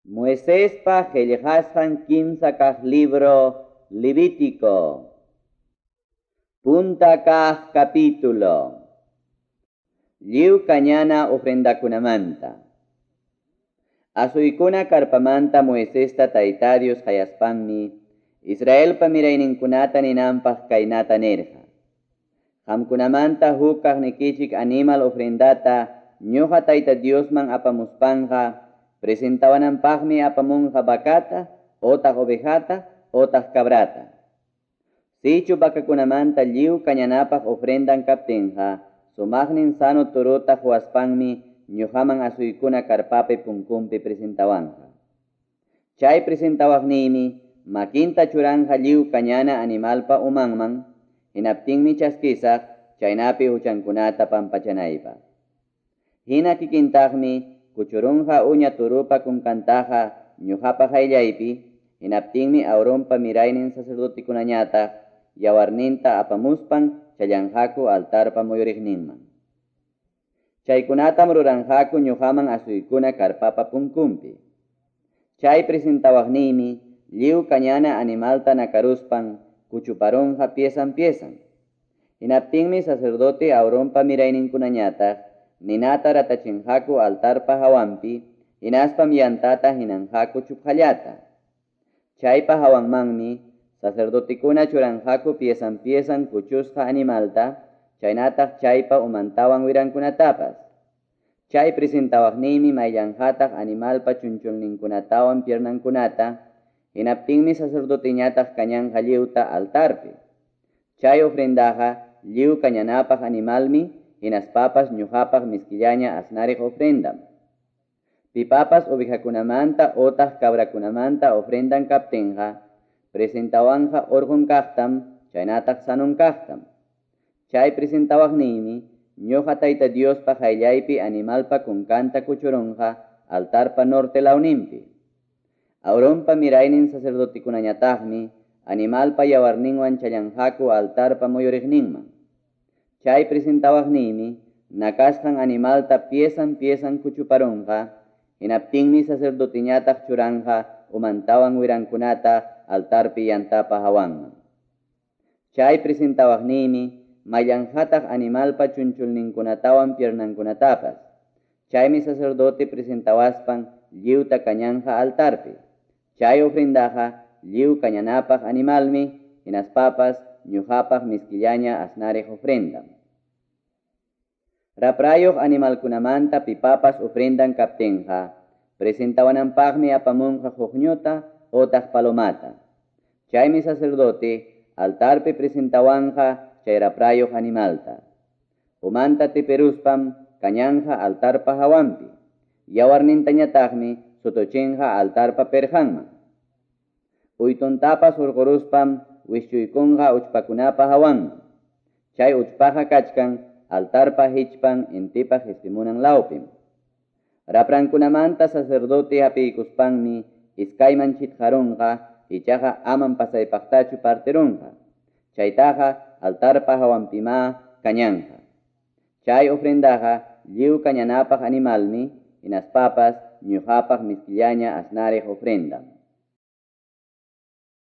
Moisespa qillqasqan kimsa kaq libro Levítico. Punta kaq capítulo. Lliw kañana ofrendakunamanta. Asuykuna karpamanta Moisesta Tayta Dios qayaspanmi Israelpa mirayninkunata ninanpaq kaynata nirqa. Qamkunamanta huk kaqnikichik animal ofrendata ñuqa Tayta Diosman apamuspanqa presentawananpaqmi apamunqa vacata, otaq ovejata, otaq cabrata. Sichu vacakunamanta lliw kañanapaq ofrendan kaptinqa, sumaqnin sano turuta huaspanmi ñuqaman asuykuna karpapi punkunpi presentawanqa. Chay presentawaqniymi makinta churanja lliw kañana animalpa umanman, hinaptinmi chaskisaq chaynapi huchankunata pampachanaypaq. Hina kikintaqmi kuchurunqa uña turupa kunkantaqa ñuqapa qayllaypi, hinaptinmi Aaronpa miraynin sacerdotikunañataq yawarninta apamuspan challanqaku altarpa muyuriqninman. Chaykunatam ruranqaku ñuqaman asuykuna karpapa punkunpi. Chay presentawaqniymi lliw kañana animalta nakaruspan kuchuparunqa piesan piesan. Hinaptinmi sacerdote Aaronpa mirayninkunañataq ninata ratachinqaku altarpa hawanpi, hinaspam yantata hinanqaku chupqallata. Chaypa hawanmanmi sacerdotekuna churanqaku piesan piesan kuchusqa animalta, chaynataq chaypa umantawan wirankunatapas. Chay presentawaqniymi mayllanqataq animalpa chunchulninkunatawan piernankunata, hinaptinmi sacerdoteñataq kañanqa lliwta altarpi. Chay ofrendaqa lliw kañanapaq animalmi, hinaspapas ñuqapaq miskillaña asnariq ofrendam. Pipapas ovejakunamanta otaq cabrakunamanta ofrendan kaptinqa, presentawanqa urqun kaqtam, chaynataq sanun kaqtam. Chay presentawaqniymi ñuqa Tayta Diospa qayllaypi animalpa kunkanta kuchurunqa altarpa norte lawninpi. Aaronpa miraynin sacerdotikunañataqmi animalpa yawarninwan challanqaku altarpa muyuriqninman. Chay presentawaqniymi nakasqan animalta piesan piesan kuchuparunqa, hinaptinmi sacerdoteñataq churanqa umantawan wirankunata altarpi yantapa hawanman. Chay presentawaqniymi mayllanqataq animalpa chunchulninkunatawan piernankunatapas. Chaymi sacerdote presentawaspan lliwta kañanqa altarpi. Chay ofrendaqa lliw kañanapaq animalmi, hinaspapas ñuqapaq miskillaña asnariq ofrendam. Raprayuq animalkunamanta pipapas ofrendan kaptinqa, presentawananpaqmi apamunqa huqñuta otaq palomata. Chaymi sacerdote altarpi presentawanqa chay raprayuq animalta. Umanta tipiruspam kañanqa altarpa hawanpi. Yawarnintañataqmi sutuchinqa altarpa pirqanman. Uytuntapas hurquruspam wischuykunqa uchpakunapa hawanman. Chay uchpaqa kachkan altarpa hichpan intipa qispimunan lawpim. Raprankunamanta sacerdote hapiykuspanmi iskayman chitqarunqa, ichaqa amam pasaypaqtachu partirunqa. Chaytaqa altarpa hawanpimá kañanqa. Chay ofrendaqa lliw kañanapaq animalmi, hinaspapas ñuqapaq miskillaña asnariq ofrendam.